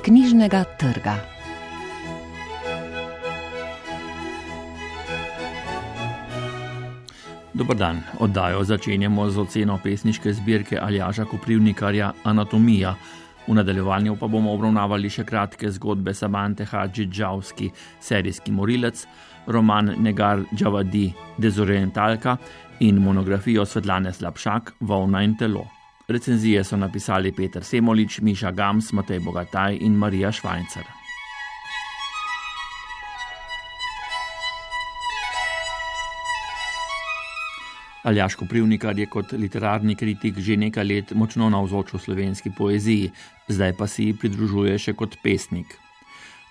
knjižnega trga. Dober dan, oddajo začenjamo z oceno pesniške zbirke Aljaža Koprivnikarja Anatomija. V nadaljevanju pa bomo obravnavali še kratke zgodbe Samante Hadži-Džavski, serijski morilec, roman Negar Džavadi, dezorientalka in monografijo Svetlane Slapšak, Volna in telo. Recenzije so napisali Peter Semolič, Miša Gams, Matej Bogataj in Marija Švajncer. Aljaž Koprivnikar je kot literarni kritik že nekaj let močno navzoč v slovenski poeziji, zdaj pa si pridružuje še kot pesnik.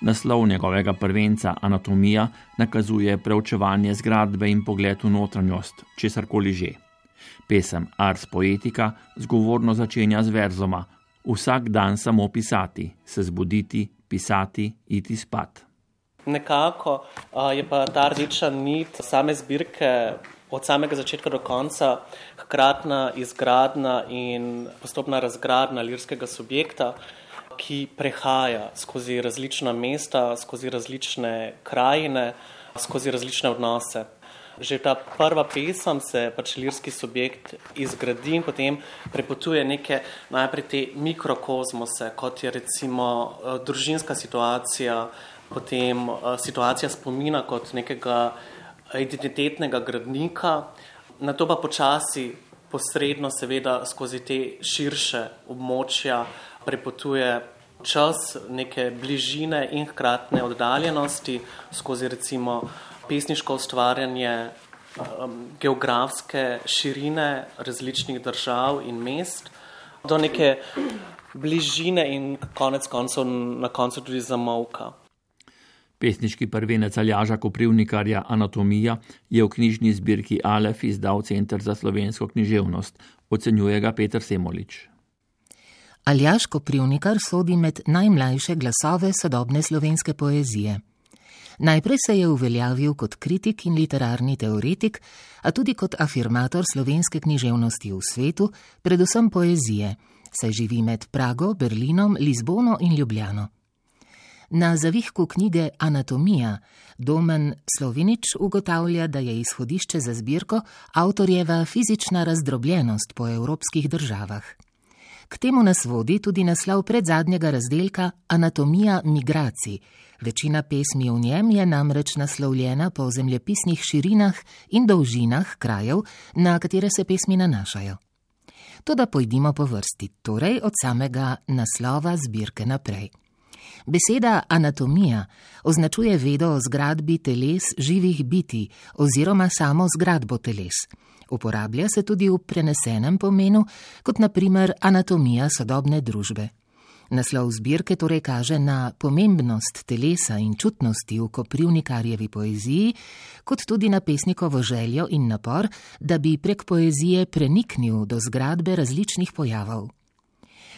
Naslov njegovega prvenca Anatomija nakazuje preučevanje zgradbe in pogled v notranjost, česarkoli že. Pesem Ars Poetica zgovorno začenja z verzoma: vsak dan samo pisati, se zbuditi, pisati, iti spat. Nekako je pa ta rdeča nit same zbirke od samega začetka do konca hkratna izgradnja in postopna razgradnja lirskega subjekta, ki prehaja skozi različna mesta, skozi različne krajine, skozi različne odnose. Že ta prva pesem se lirski subjekt izgradi in potem prepotuje neke najprej te mikrokozmose, kot je recimo družinska situacija, potem situacija spomina kot nekega identitetnega gradnika, na to pa počasi, posredno seveda skozi te širše območja prepotuje čas neke bližine in hkratne oddaljenosti, skozi recimo pesniško ustvarjanje geografske širine različnih držav in mest, do neke bližine in konec koncev na koncu tudi zamolka. Pesniški prvenec Aljaža Koprivnikarja Anatomija je v knjižni zbirki Alef izdal Center za slovensko književnost. Ocenjuje ga Peter Semolič. Aljaž Koprivnikar sodi med najmlajše glasove sodobne slovenske poezije. Najprej se je uveljavil kot kritik in literarni teoretik, a tudi kot afirmator slovenske književnosti v svetu, predvsem poezije, saj živi med Prago, Berlinom, Lizbono in Ljubljano. Na zavihku knjige Anatomija Domen Slovinič ugotavlja, da je izhodišče za zbirko avtorjeva fizična razdrobljenost po evropskih državah. K temu nas vodi tudi naslov predzadnjega razdelka Anatomija migracij. Večina pesmi v njem je namreč naslovljena po zemljepisnih širinah in dolžinah krajev, na katere se pesmi nanašajo. Toda pojdimo po vrsti, torej od samega naslova zbirke naprej. Beseda anatomija označuje vedo o zgradbi teles živih bitij oziroma samo zgradbo teles. Uporablja se tudi v prenesenem pomenu, kot na primer anatomija sodobne družbe. Naslov zbirke torej kaže na pomembnost telesa in čutnosti v Koprivnikarjevi poeziji, kot tudi na pesnikovo željo in napor, da bi prek poezije preniknil do zgradbe različnih pojavov.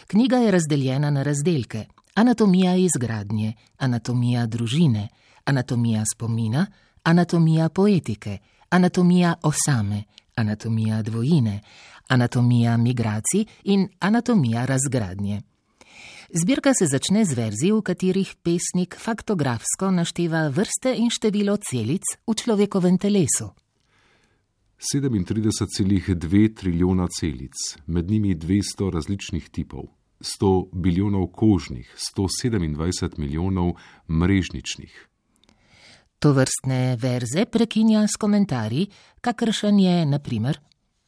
Knjiga je razdeljena na razdelke: anatomija izgradnje, anatomija družine, anatomija spomina, anatomija poetike, anatomija osame, anatomija dvojine, anatomija migracij in anatomija razgradnje. Zbirka se začne z verzi, v katerih pesnik faktografsko našteva vrste in število celic v človekovem telesu. 37,2 trilijona celic, med njimi 200 različnih tipov, 100 bilijonov kožnih, 127 milijonov mrežničnih. Tovrstne verze prekinja s komentarji, kakršen je, na primer: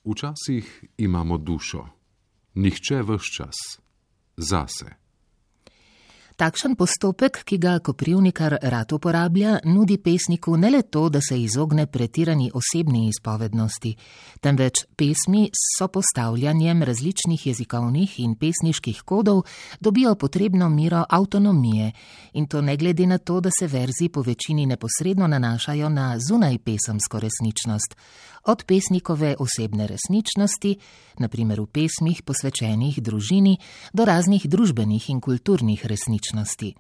včasih imamo dušo, nihče ves čas, zase. Takšen postopek, ki ga Koprivnikar rad uporablja, nudi pesniku ne le to, da se izogne pretirani osebni izpovednosti, temveč pesmi s sopostavljanjem različnih jezikovnih in pesniških kodov dobijo potrebno mero avtonomije, in to ne glede na to, da se verzi po večini neposredno nanašajo na zunajpesemsko resničnost, od pesnikove osebne resničnosti, na primer v pesmih posvečenih družini, do raznih družbenih in kulturnih resničnosti.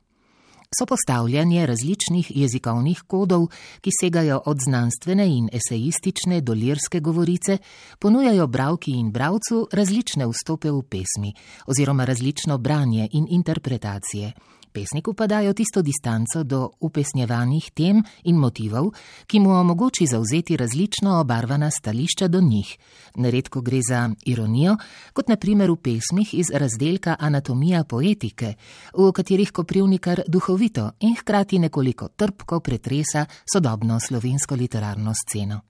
Sopostavljanje različnih jezikovnih kodov, ki segajo od znanstvene in esejistične do lirske govorice, ponujajo bralki in bralcu različne vstope v pesmi oziroma različno branje in interpretacije. Pesniku pa dajo tisto distanco do upesnjevanih tem in motivov, ki mu omogoči zavzeti različno obarvana stališča do njih. Neredko gre za ironijo, kot na primer v pesmih iz razdelka Anatomija poetike, v katerih Koprivnikar duhovito in hkrati nekoliko trpko pretresa sodobno slovensko literarno sceno.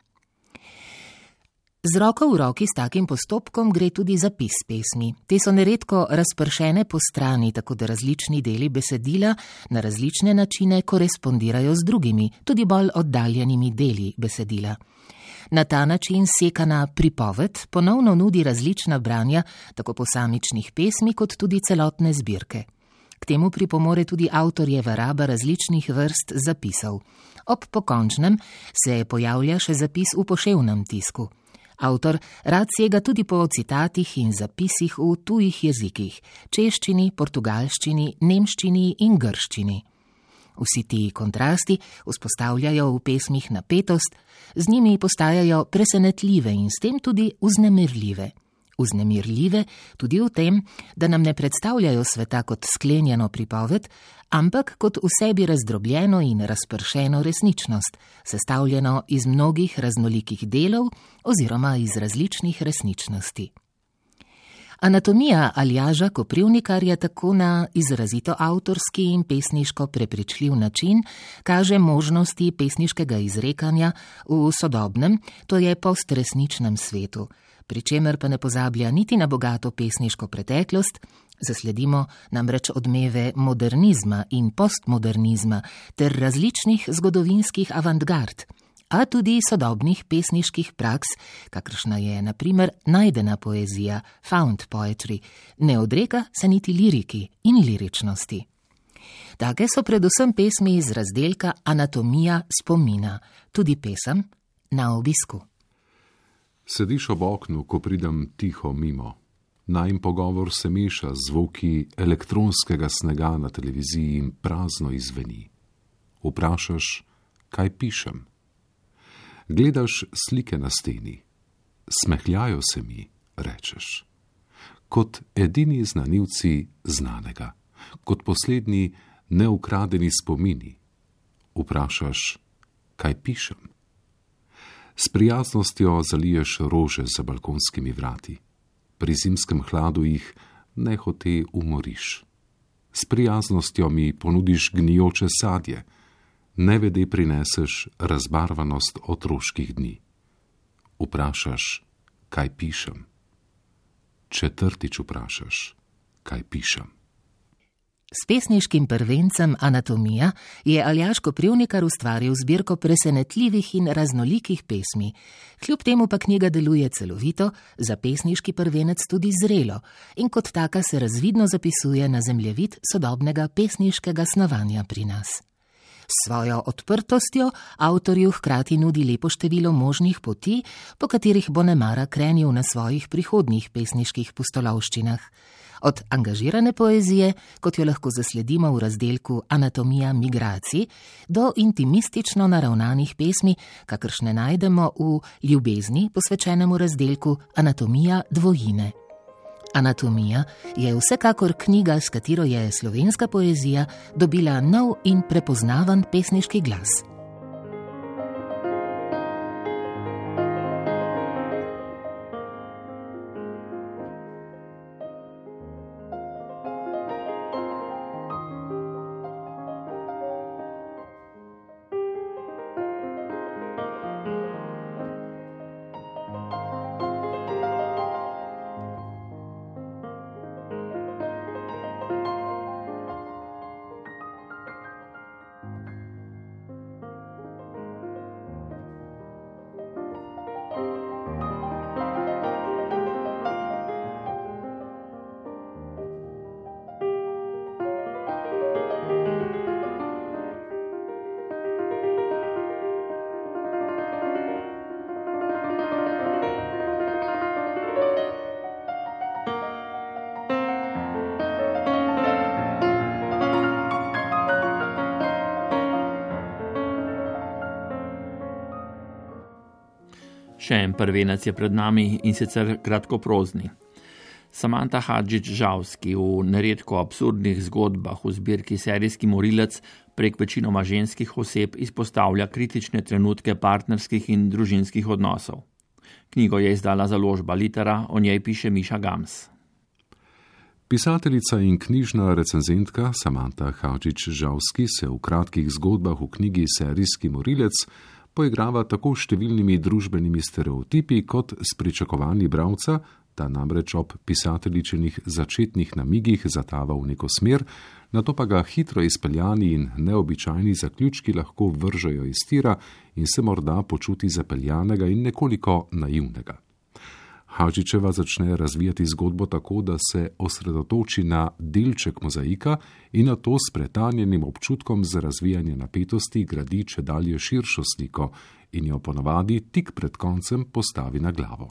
Z roko v roki s takim postopkom gre tudi zapis pesmi. Te so neredko razpršene po strani, tako da različni deli besedila na različne načine korespondirajo z drugimi, tudi bolj oddaljenimi deli besedila. Na ta način sekana pripoved ponovno nudi različna branja tako posamičnih pesmi kot tudi celotne zbirke. K temu pripomore tudi avtorjeva raba različnih vrst zapisov. Ob pokončnem se pojavlja še zapis v poševnem tisku. Avtor rad sega tudi po citatih in zapisih v tujih jezikih, češčini, portugalščini, nemščini in grščini. Vsi ti kontrasti vzpostavljajo v pesmih napetost, z njimi postajajo presenetljive in s tem tudi vznemirljive. Vznemirljive tudi v tem, da nam ne predstavljajo sveta kot sklenjeno pripoved, ampak kot v sebi razdrobljeno in razpršeno resničnost, sestavljeno iz mnogih raznolikih delov oziroma iz različnih resničnosti. Anatomija Aljaža Koprivnikarja tako na izrazito avtorski in pesniško prepričljiv način kaže možnosti pesniškega izrekanja v sodobnem, to je postresničnem svetu, pri čemer pa ne pozablja niti na bogato pesniško preteklost, zasledimo namreč odmeve modernizma in postmodernizma ter različnih zgodovinskih avantgard, a tudi sodobnih pesniških praks, kakršna je na primer najdena poezija, found poetry, ne odreka se niti liriki in liričnosti. Take so predvsem pesmi iz razdelka Anatomija spomina, tudi pesem Na obisku. Sediš ob oknu, ko pridem tiho mimo. Najin pogovor se meša z zvoki elektronskega snega na televiziji in prazno izzveni. Vprašaš, kaj pišem? Gledaš slike na steni. Smehljajo se mi, rečeš. Kot edini znanilci znanega, kot poslednji neukradeni spomini. Vprašaš, kaj pišem? S prijaznostjo zaliješ rože za balkonskimi vrati. Pri zimskem hladu jih nehote umoriš. S prijaznostjo mi ponudiš gnijoče sadje, nevede prineseš razbarvanost otroških dni. Vprašaš, kaj pišem? Četrtič vprašaš, kaj pišem? S pesniškim prvencem Anatomija je Aljaž Koprivnikar ustvaril zbirko presenetljivih in raznolikih pesmi. Kljub temu pa knjiga deluje celovito, za pesniški prvenec tudi zrelo in kot taka se razvidno zapisuje na zemljevid sodobnega pesniškega snovanja pri nas. S svojo odprtostjo avtorju hkrati nudi lepo število možnih poti, po katerih bo nemara krenil na svojih prihodnjih pesniških pustolovščinah. Od angažirane poezije, kot jo lahko zasledimo v razdelku Anatomija migracij, do intimistično naravnanih pesmi, kakršne najdemo v Ljubezni, posvečenemu razdelku Anatomija dvojine. Anatomija je vsekakor knjiga, s katero je slovenska poezija dobila nov in prepoznaven pesniški glas. Še en prvenec je pred nami in sicer kratkoprozni. Samanta Hadžić-Žalski v neredko absurdnih zgodbah v zbirki Serijski morilec prek večinoma ženskih oseb izpostavlja kritične trenutke partnerskih in družinskih odnosov. Knjigo je izdala založba Litera, o njej piše Miša Gams. Pisateljica in knjižna recenzentka Samanta Hadžić-Žalski se v kratkih zgodbah v knjigi Serijski morilec poigrava tako številnimi družbenimi stereotipi kot s pričakovanji bralca, ta namreč ob pisateljičinih začetnih namigih zatava v neko smer, nato pa ga hitro izpeljani in neobičajni zaključki lahko vržejo iz tira in se morda počuti zapeljanega in nekoliko naivnega. Hadžićeva začne razvijati zgodbo tako, da se osredotoči na delček mozaika in na to s pretanjenim občutkom za razvijanje napetosti gradi čedalje širšo sliko in jo ponavadi tik pred koncem postavi na glavo.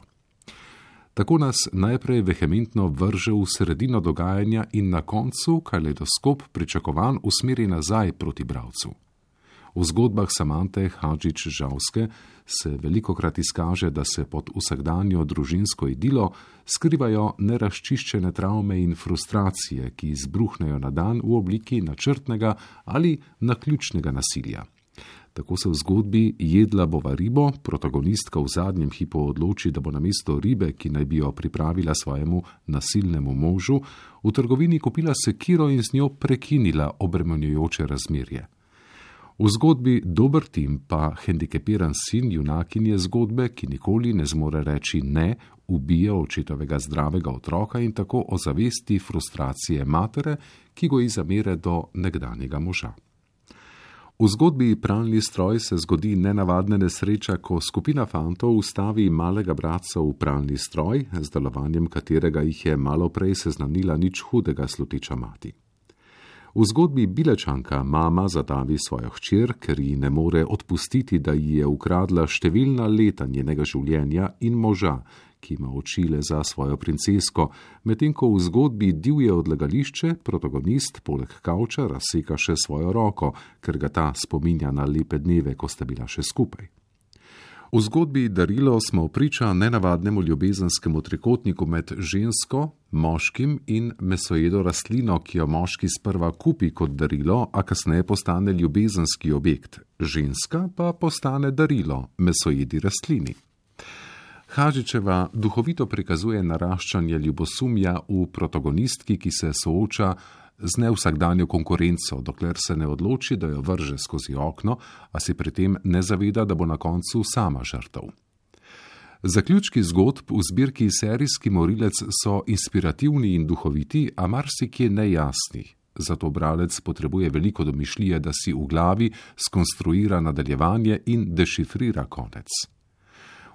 Tako nas najprej vehementno vrže v sredino dogajanja in na koncu kaleidoskop pričakovan usmeri nazaj proti bralcu. V zgodbah Samante Hadžić-Žalske se velikokrat izkaže, da se pod vsakdanjo družinsko idilo skrivajo nerazčiščene travme in frustracije, ki izbruhnejo na dan v obliki načrtnega ali naključnega nasilja. Tako se v zgodbi Jedla bova ribo protagonistka v zadnjem hipu odloči, da bo namesto ribe, ki naj bi jo pripravila svojemu nasilnemu možu, v trgovini kupila sekiro in z njo prekinila obremenjujoče razmerje. V zgodbi Dober tim pa hendikepiran sin junakinje zgodbe, ki nikoli ne zmore reči ne, ubije očetovega zdravega otroka in tako ozavesti frustracije matere, ki goji zamere do nekdanjega moža. V zgodbi Pralni stroj se zgodi nenavadna nesreča, ko skupina fantov ustavi malega bratca v pralni stroj, z delovanjem katerega jih je malo prej seznanila nič hudega sluteča mati. V zgodbi Bilečanka mama zadavi svojo hčer, ker ji ne more odpustiti, da ji je ukradla številna leta njenega življenja in moža, ki ima oči le za svojo princesko, medtem ko v zgodbi Divje odlagališče protagonist poleg kavča razseka še svojo roko, ker ga ta spominja na lepe dneve, ko sta bila še skupaj. V zgodbi Darilo smo priča nenavadnemu ljubezenskemu trikotniku med žensko, moškim in mesojedo rastlino, ki jo moški sprva kupi kot darilo, a kasneje postane ljubezenski objekt, ženska pa postane darilo mesojedi rastlini. Hadžićeva duhovito prikazuje naraščanje ljubosumja v protagonistki, ki se sooča z nevsakdanjo konkurenco, dokler se ne odloči, da jo vrže skozi okno, a si pri tem ne zaveda, da bo na koncu sama žrtev. Zaključki zgodb v zbirki Serijski morilec so inspirativni in duhoviti, a marsikje nejasni. Zato bralec potrebuje veliko domišljije, da si v glavi skonstruira nadaljevanje in dešifrira konec.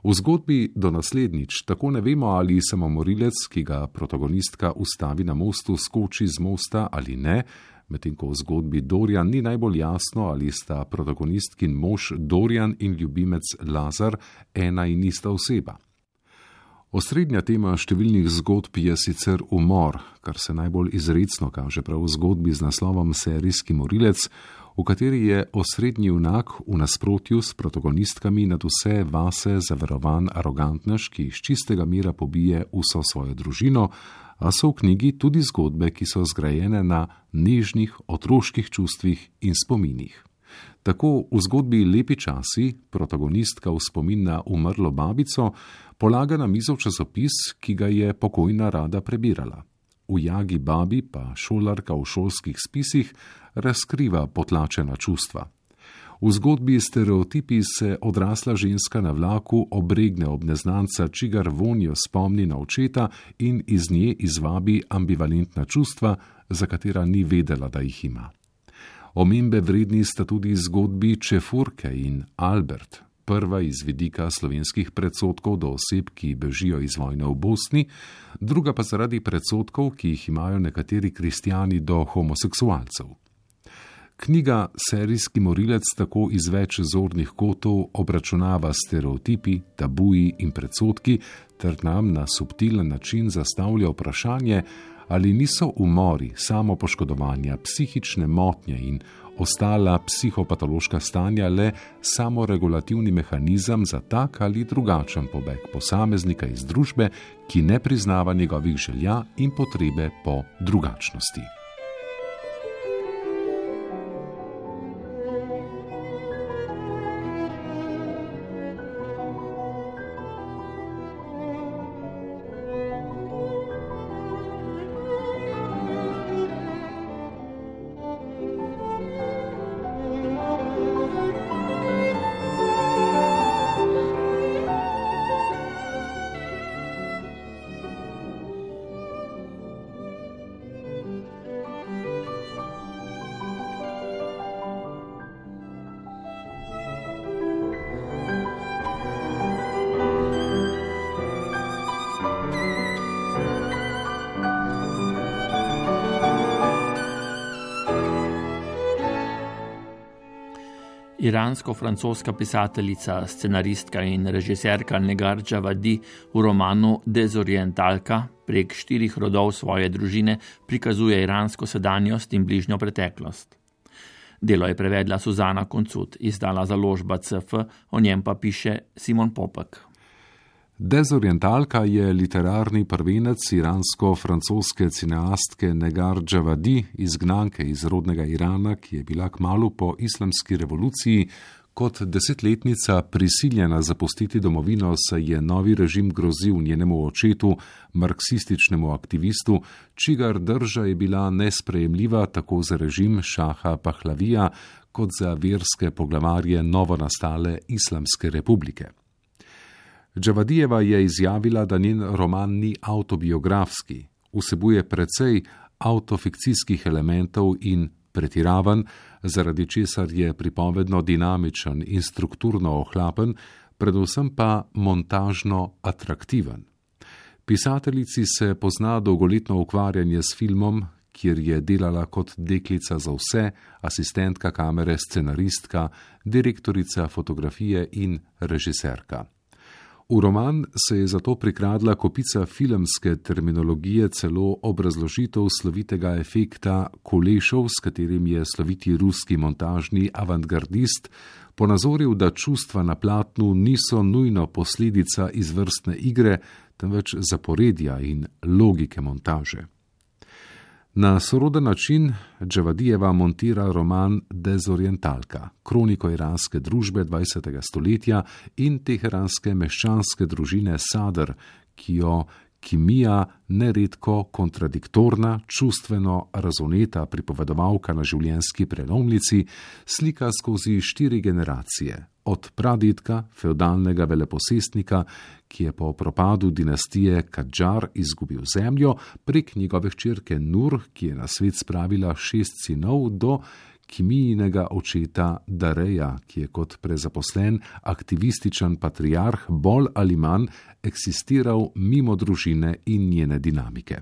V zgodbi Do naslednjič tako ne vemo, ali samomorilec, ki ga protagonistka ustavi na mostu, skoči z mosta ali ne, medtem ko v zgodbi Dorjan ni najbolj jasno, ali sta protagonistkin mož Dorjan in ljubimec Lazar ena in ista oseba. Osrednja tema številnih zgodb je sicer umor, kar se najbolj izrecno kaže prav v zgodbi z naslovom Serijski morilec, v kateri je osrednji junak v nasprotju s protagonistkami nad vse vase zaverovan arogantnež, ki iz čistega mira pobije vso svojo družino, a so v knjigi tudi zgodbe, ki so zgrajene na nežnih otroških čustvih in spominih. Tako v zgodbi Lepi časi protagonistka v spomin na umrlo babico polaga na mizo časopis, ki ga je pokojna rada prebirala. V Jagi babi pa šolarka v šolskih spisih razkriva potlačena čustva. V zgodbi Stereotipi se odrasla ženska na vlaku obregne ob neznanca, čigar vonjo spomni na očeta in iz nje izvabi ambivalentna čustva, za katera ni vedela, da jih ima. Omembe vredni sta tudi zgodbi Čefurke in Albert, prva iz vidika slovenskih predsodkov do oseb, ki bežijo iz vojne v Bosni, druga pa zaradi predsodkov, ki jih imajo nekateri kristjani do homoseksualcev. Knjiga Serijski morilec tako iz več zornih kotov obračunava stereotipi, tabuji in predsodki ter nam na subtilen način zastavlja vprašanje, Ali niso umori, samopoškodovanja, psihične motnje in ostala psihopatološka stanja le samoregulativni mehanizem za tak ali drugačen pobeg posameznika iz družbe, ki ne priznava njegovih želja in potrebe po drugačnosti? Iransko-francoska pisateljica, scenaristka in režiserka Negar Džavadi v romanu Dezorientalka prek 4 rodov svoje družine prikazuje iransko sedanjost in bližnjo preteklost. Delo je prevedla Suzana Koncut, izdala založba CF, o njem pa piše Simon Popek. Dezorientalka je literarni prvenec iransko-francoske cineastke Negar Džavadi, izgnanke iz rodnega Irana, ki je bila kmalu po islamski revoluciji kot 10-letnica prisiljena zapustiti domovino, saj je novi režim grozil njenemu očetu, marksističnemu aktivistu, čigar drža je bila nesprejemljiva tako za režim Šaha Pahlavija kot za verske poglavarje novonastale Islamske republike. Džavadijeva je izjavila, da njen roman ni avtobiografski, vsebuje precej avtofikcijskih elementov in pretiravan, zaradi česar je pripovedno dinamičen in strukturno ohlapen, predvsem pa montažno atraktiven. Pisateljici se pozna dolgoletno ukvarjanje s filmom, kjer je delala kot deklica za vse, asistentka kamere, scenaristka, direktorica fotografije in režiserka. V roman se je zato prikradla kopica filmske terminologije, celo obrazložitev slovitega efekta kolešov, s katerim je sloviti ruski montažni avantgardist ponazoril, da čustva na platnu niso nujno posledica izvrstne igre, temveč zaporedja in logike montaže. Na soroden način Džavadijeva montira roman Dezorientalka, kroniko iranske družbe 20. stoletja in teheranske meščanske družine Sadr, ki jo Kimija, neredko kontradiktorna, čustveno razoneta pripovedovalka na življenjski prelomnici, slika skozi 4 generacije, od pradedka, fevdalnega veleposestnika, ki je po propadu dinastije Kadžar izgubil zemljo, prek njegove hčerke Nur, ki je na svet spravila 6 sinov, do Kimijinega očeta Dareja, ki je kot prezaposlen aktivističen patriarh bolj ali manj eksistiral mimo družine in njene dinamike.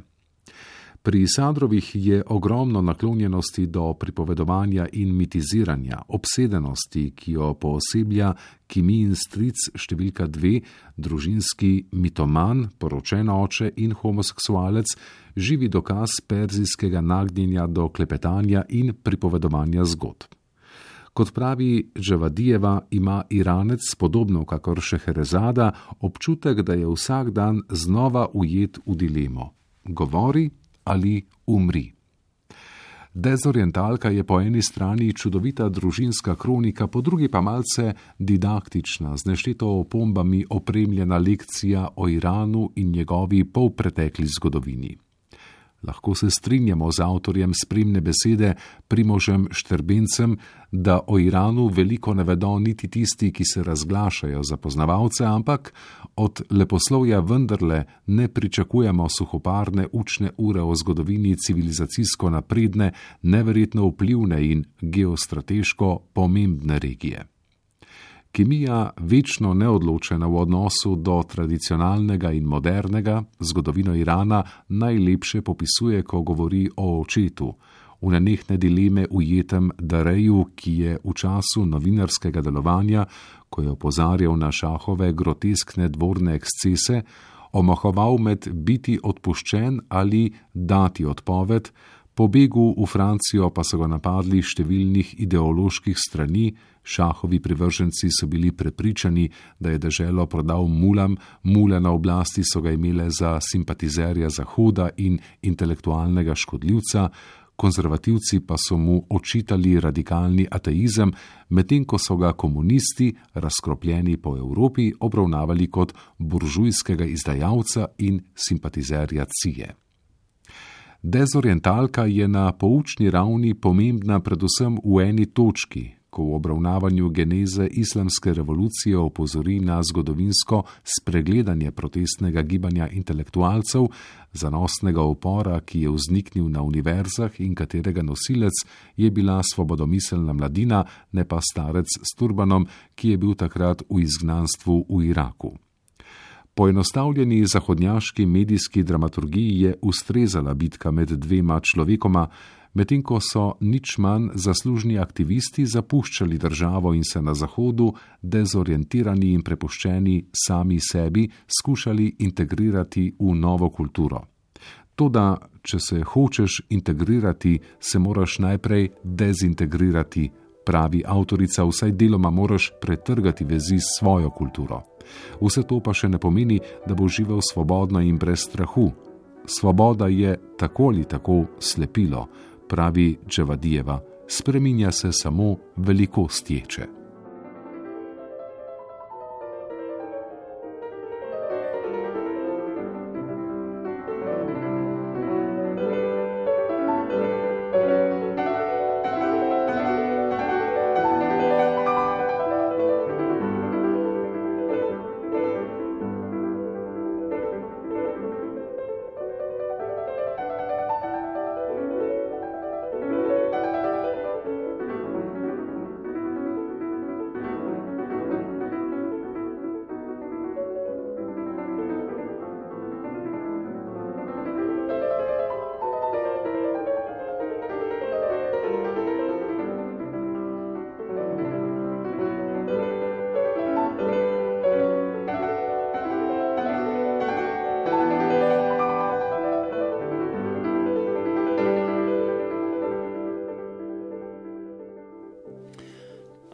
Pri Sadrovih je ogromno naklonjenosti do pripovedovanja in mitiziranja, obsedenosti, ki jo pooseblja Kimijin stric številka 2, družinski mitoman, poročen oče in homoseksualec, živi dokaz perzijskega nagnjenja do klepetanja in pripovedovanja zgodb. Kot pravi Džavadijeva, ima Iranec, podobno kakor Šeherezada, občutek, da je vsak dan znova ujet v dilemo: govori ali umri. Dezorientalka je po eni strani čudovita družinska kronika, po drugi pa malce didaktična, z nešteto opombami opremljena lekcija o Iranu in njegovi polpretekli zgodovini. Lahko se strinjamo z avtorjem spremne besede Primožem Štrbencem, da o Iranu veliko ne vedo niti tisti, ki se razglašajo za poznavalce, ampak od leposlovja vendarle ne pričakujemo suhoparne učne ure o zgodovini civilizacijsko napredne, neverjetno vplivne in geostrateško pomembne regije. Kimija, večno neodločena v odnosu do tradicionalnega in modernega, zgodovino Irana najlepše popisuje, ko govori o očetu, v nenehne dileme ujetem Dareju, ki je v času novinarskega delovanja, ko je opozarjal na Šahove groteskne dvorne ekscese, omahoval med biti odpuščen ali dati odpoved, po begu v Francijo pa so ga napadli številnih ideoloških strani, Šahovi privrženci so bili prepričani, da je deželo prodal mulam, mule na oblasti so ga imele za simpatizerja Zahoda in intelektualnega škodljivca, konzervativci pa so mu očitali radikalni ateizem, medtem ko so ga komunisti, razkropljeni po Evropi, obravnavali kot buržujskega izdajalca in simpatizerja CIA. Dezorientalka je na poučni ravni pomembna predvsem v eni točki, ko v obravnavanju geneze islamske revolucije opozori na zgodovinsko spregledanje protestnega gibanja intelektualcev, zanosnega upora, ki je vzniknil na univerzah in katerega nosilec je bila svobodomiselna mladina, ne pa starec s turbanom, ki je bil takrat v izgnanstvu v Iraku. Poenostavljeni zahodnjaški medijski dramaturgiji je ustrezala bitka med dvema človekoma, medtem ko so nič manj zaslužni aktivisti zapuščali državo in se na Zahodu, dezorientirani in prepuščeni sami sebi, skušali integrirati v novo kulturo. Toda, če se hočeš integrirati, se moraš najprej dezintegrirati, pravi avtorica, vsaj deloma moraš pretrgati vezi s svojo kulturo. Vse to pa še ne pomeni, da bo živel svobodno in brez strahu. Svoboda je tako ali tako slepilo, pravi Dževadijeva, spreminja se samo velikost ječe.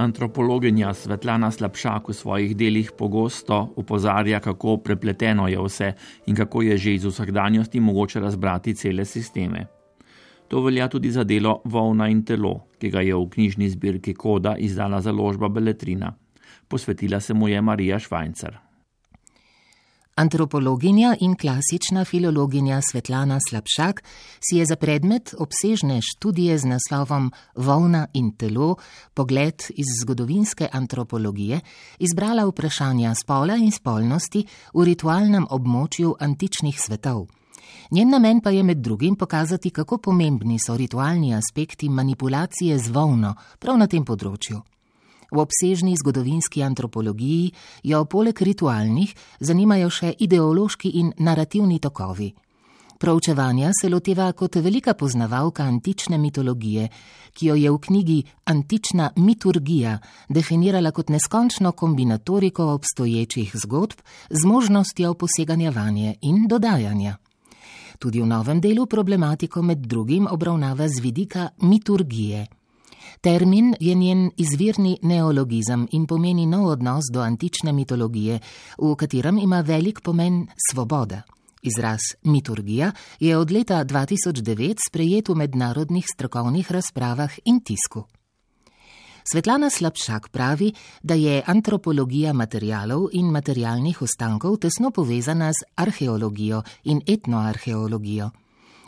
Antropologinja Svetlana Slapšak v svojih delih pogosto opozarja, kako prepleteno je vse in kako je že iz vsakdanjosti mogoče razbrati cele sisteme. To velja tudi za delo Volna in telo, ki ga je v knjižni zbirki Koda izdala založba Beletrina. Posvetila se mu je Marija Švajncer. Antropologinja in klasična filologinja Svetlana Slapšak si je za predmet obsežne študije z naslovom Volna in telo, pogled iz zgodovinske antropologije, izbrala vprašanja spola in spolnosti v ritualnem območju antičnih svetov. Njen namen pa je med drugim pokazati, kako pomembni so ritualni aspekti manipulacije z volno prav na tem področju. V obsežni zgodovinski antropologiji jo poleg ritualnih zanimajo še ideološki in narativni tokovi. Proučevanja se loteva kot velika poznavalka antične mitologije, ki jo je v knjigi Antična miturgija definirala kot neskončno kombinatoriko obstoječih zgodb z možnostjo poseganja vanje in dodajanja. Tudi v novem delu problematiko med drugim obravnava z vidika miturgije. Termin je njen izvirni neologizem in pomeni nov odnos do antične mitologije, v katerem ima velik pomen svoboda. Izraz miturgija je od leta 2009 sprejet v mednarodnih strokovnih razpravah in tisku. Svetlana Slapšak pravi, da je antropologija materialov in materialnih ostankov tesno povezana z arheologijo in etnoarheologijo.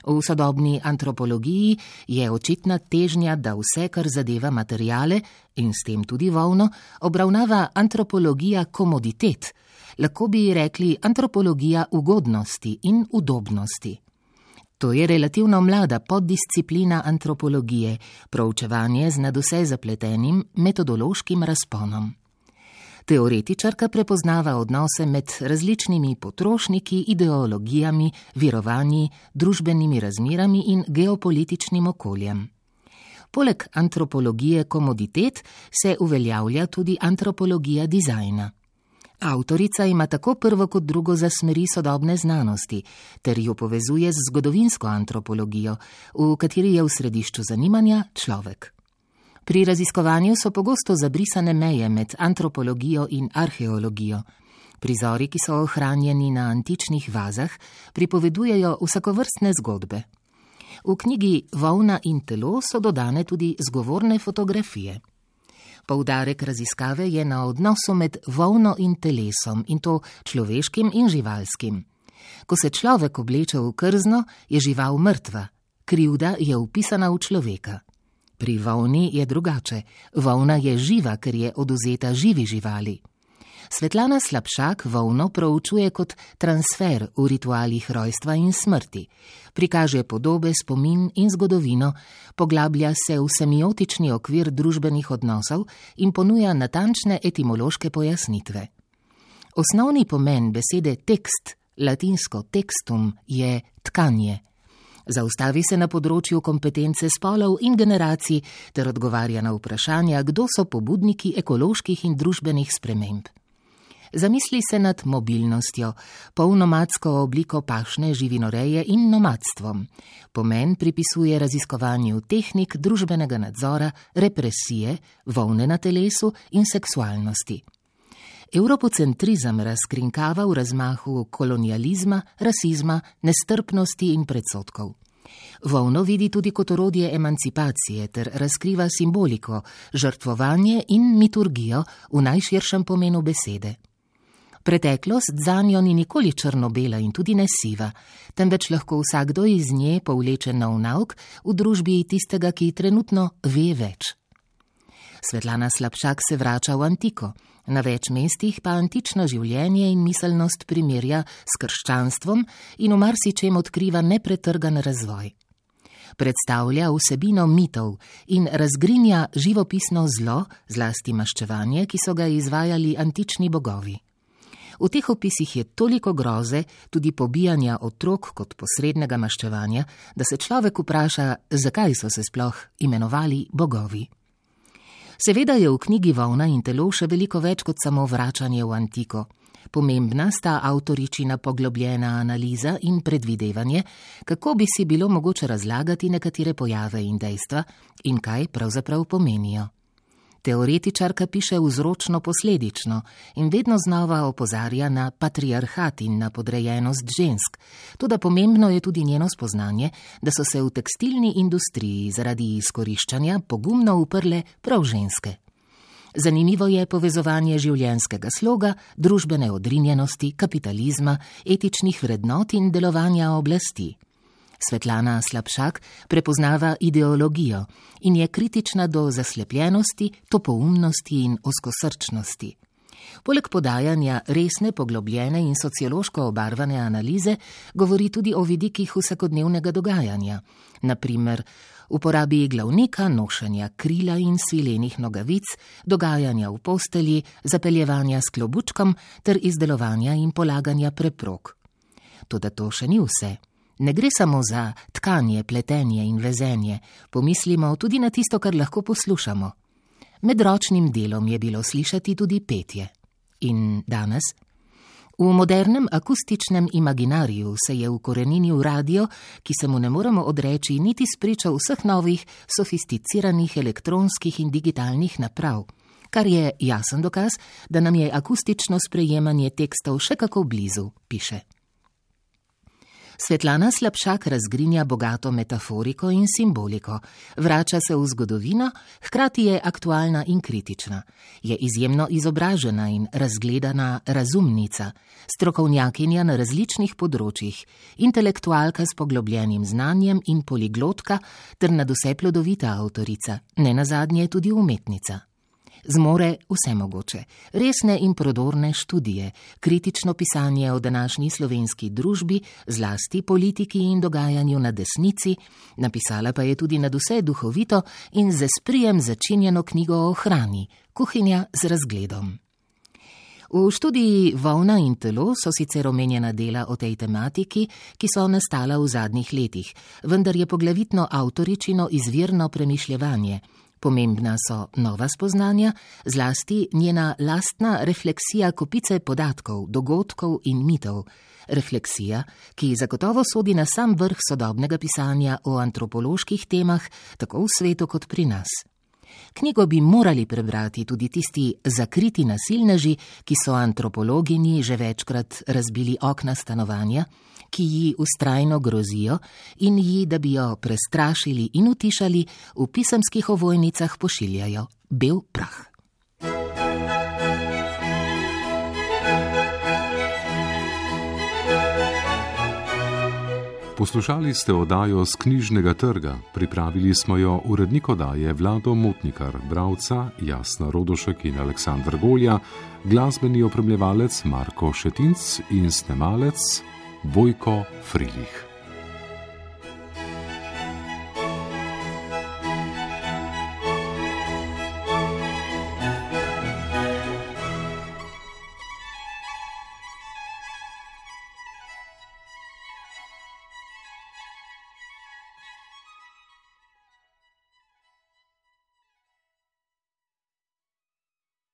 V sodobni antropologiji je očitna težnja, da vse, kar zadeva materiale in s tem tudi volno, obravnava antropologija komoditet, lahko bi rekli antropologija ugodnosti in udobnosti. To je relativno mlada poddisciplina antropologije, proučevanje z nadvse zapletenim metodološkim razponom. Teoretičarka prepoznava odnose med različnimi potrošniki, ideologijami, verovanji, družbenimi razmerami in geopolitičnim okoljem. Poleg antropologije komoditet se uveljavlja tudi antropologija dizajna. Avtorica ima tako prvo kot drugo za smeri sodobne znanosti, ter jo povezuje z zgodovinsko antropologijo, v kateri je v središču zanimanja človek. Pri raziskovanju so pogosto zabrisane meje med antropologijo in arheologijo. Prizori, ki so ohranjeni na antičnih vazah, pripovedujejo vsakovrstne zgodbe. V knjigi Volna in telo so dodane tudi zgovorne fotografije. Poudarek raziskave je na odnosu med volno in telesom, in to človeškim in živalskim. Ko se človek obleče v krzno, je žival mrtva, krivda je vpisana v človeka. Pri volni je drugače, volna je živa, ker je odvzeta živi živali. Svetlana Slapšak volno proučuje kot transfer v ritualih rojstva in smrti. Prikaže podobe, spomin in zgodovino, poglablja se v semiotični okvir družbenih odnosov in ponuja natančne etimološke pojasnitve. Osnovni pomen besede tekst, latinsko textum, je tkanje. Zaustavi se na področju kompetence spolov in generacij ter odgovarja na vprašanja, kdo so pobudniki ekoloških in družbenih sprememb. Zamisli se nad mobilnostjo, polnomadsko obliko pašne živinoreje in nomadstvom. Pomen pripisuje raziskovanju tehnik družbenega nadzora, represije, volne na telesu in seksualnosti. Evropocentrizem razkrinkava v razmahu kolonializma, rasizma, nestrpnosti in predsodkov. Volno vidi tudi kot orodje emancipacije ter razkriva simboliko, žrtvovanje in miturgijo v najširšem pomenu besede. Preteklost zanjo ni nikoli črno-bela in tudi ne siva, temveč lahko vsakdo iz nje povleče nov nauk v družbi tistega, ki trenutno ve več. Svetlana Slapšak se vrača v antiko, na več mestih pa antično življenje in miselnost primerja s krščanstvom in v marsičem odkriva nepretrgan razvoj. Predstavlja vsebino mitov in razgrinja živopisno zlo, zlasti maščevanje, ki so ga izvajali antični bogovi. V teh opisih je toliko groze, tudi pobijanja otrok kot posrednega maščevanja, da se človek vpraša, zakaj so se sploh imenovali bogovi. Seveda je v knjigi Volna in telo še veliko več kot samo vračanje v antiko. Pomembna sta avtoričina poglobljena analiza in predvidevanje, kako bi si bilo mogoče razlagati nekatere pojave in dejstva in kaj pravzaprav pomenijo. Teoretičarka piše vzročno-posledično in vedno znova opozarja na patriarhat in na podrejenost žensk. Toda pomembno je tudi njeno spoznanje, da so se v tekstilni industriji zaradi izkoriščanja pogumno uprle prav ženske. Zanimivo je povezovanje življenjskega sloga, družbene odrinjenosti, kapitalizma, etičnih vrednot in delovanja oblasti. Svetlana Slapšak prepoznava ideologijo in je kritična do zaslepljenosti, topoumnosti in ozkosrčnosti. Poleg podajanja resne, poglobljene in sociološko obarvane analize govori tudi o vidikih vsakodnevnega dogajanja, naprimer uporabi glavnika, nošenja krila in svilenih nogavic, dogajanja v postelji, zapeljevanja s klobučkom ter izdelovanja in polaganja preprog. Toda to še ni vse. Ne gre samo za tkanje, pletenje in vezenje, pomislimo tudi na tisto, kar lahko poslušamo. Med ročnim delom je bilo slišati tudi petje. In danes? V modernem akustičnem imaginariju se je ukoreninil radio, ki se mu ne moremo odreči niti spričo vseh novih, sofisticiranih elektronskih in digitalnih naprav, kar je jasen dokaz, da nam je akustično sprejemanje tekstov še kako blizu, piše. Svetlana Slapšak razgrinja bogato metaforiko in simboliko, vrača se v zgodovino, hkrati je aktualna in kritična. Je izjemno izobražena in razgledana razumnica, strokovnjakinja na različnih področjih, intelektualka s poglobljenim znanjem in poliglotka ter nadvse plodovita avtorica, nenazadnje tudi umetnica. Zmore vse mogoče, resne in prodorne študije, kritično pisanje o današnji slovenski družbi, zlasti politiki in dogajanju na desnici, napisala pa je tudi nadvse duhovito in z esprijem začinjeno knjigo o hrani, Kuhinja z razgledom. V študiji Volna in telo so sicer omenjena dela o tej tematiki, ki so nastala v zadnjih letih, vendar je poglavitno avtoričino izvirno premišljevanje, Pomembna so nova spoznanja, zlasti njena lastna refleksija kopice podatkov, dogodkov in mitov. Refleksija, ki zagotovo sodi na sam vrh sodobnega pisanja o antropoloških temah, tako v svetu kot pri nas. Knjigo bi morali prebrati tudi tisti zakriti nasilneži, ki so antropologinji že večkrat razbili okna stanovanja, ki ji vztrajno grozijo in ji, da bi jo prestrašili in utišali, v pisemskih ovojnicah pošiljajo bel prah. Poslušali ste oddajo z Knjižnega trga. Pripravili smo jo urednik oddaje Vlado Motnikar, bralca Jasna Rodošek in Aleksandr Golja, glasbeni opremljevalec Marko Šetinc in snemalec Vojko Frilih.